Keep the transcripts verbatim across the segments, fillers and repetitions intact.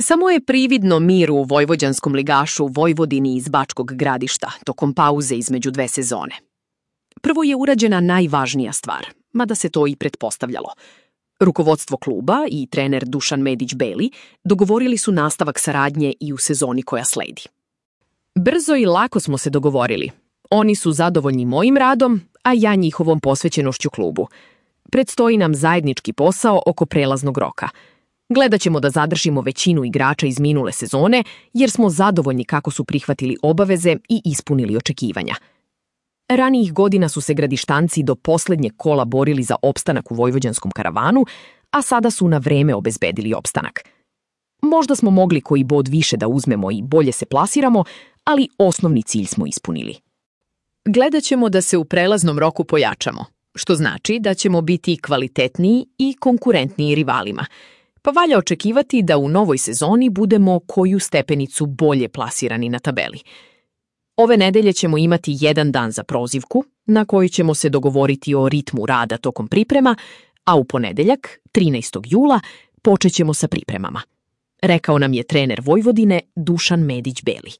Samo je prividno mir u vojvođanskom ligašu Vojvodini iz Bačkog Gradišta tokom pauze između dve sezone. Prvo je urađena najvažnija stvar, mada se to i pretpostavljalo. Rukovodstvo kluba i trener Dušan Medić-Beli dogovorili su nastavak saradnje i u sezoni koja sledi. Brzo i lako smo se dogovorili. Oni su zadovoljni mojim radom, a ja njihovom posvećenošću klubu. Predstoji nam zajednički posao oko prelaznog roka. Gledat ćemo da zadržimo većinu igrača iz minule sezone, jer smo zadovoljni kako su prihvatili obaveze i ispunili očekivanja. Ranijih godina su se gradištanci do poslednjeg kola borili za opstanak u vojvođanskom karavanu, a sada su na vreme obezbedili opstanak. Možda smo mogli koji bod više da uzmemo i bolje se plasiramo, ali osnovni cilj smo ispunili. Gledat ćemo da se u prelaznom roku pojačamo, što znači da ćemo biti kvalitetniji i konkurentniji rivalima, pa valja očekivati da u novoj sezoni budemo koju stepenicu bolje plasirani na tabeli. Ove nedelje ćemo imati jedan dan za prozivku, na koji ćemo se dogovoriti o ritmu rada tokom priprema, a u ponedeljak, trinaestog jula, počet ćemo sa pripremama. Rekao nam je trener Vojvodine Dušan Medić-Beli.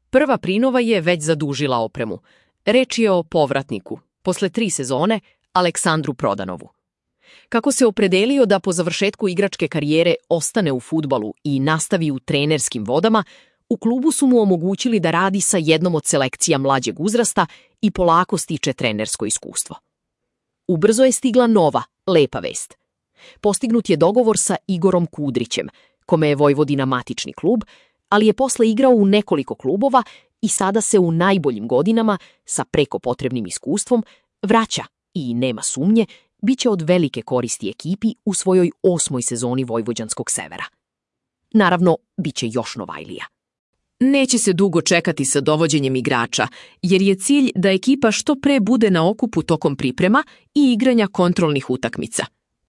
Prva prinova je već zadužila opremu. Reč je o povratniku, posle tri sezone, Aleksandru Prodanovu. Kako se opredelio da po završetku igračke karijere ostane u fudbalu i nastavi u trenerskim vodama, u klubu su mu omogućili da radi sa jednom od selekcija mlađeg uzrasta i polako stiče trenersko iskustvo. Ubrzo je stigla nova, lepa vest. Postignut je dogovor sa Igorom Kudrićem, kome je Vojvodina matični klub, ali je posle igrao u nekoliko klubova i sada se u najboljim godinama, sa preko potrebnim iskustvom, vraća i, nema sumnje, bit će od velike koristi ekipi u svojoj osmoj sezoni Vojvođanskog severa. Naravno, bit će još novajlija. Neće se dugo čekati sa dovođenjem igrača, jer je cilj da ekipa što pre bude na okupu tokom priprema i igranja kontrolnih utakmica.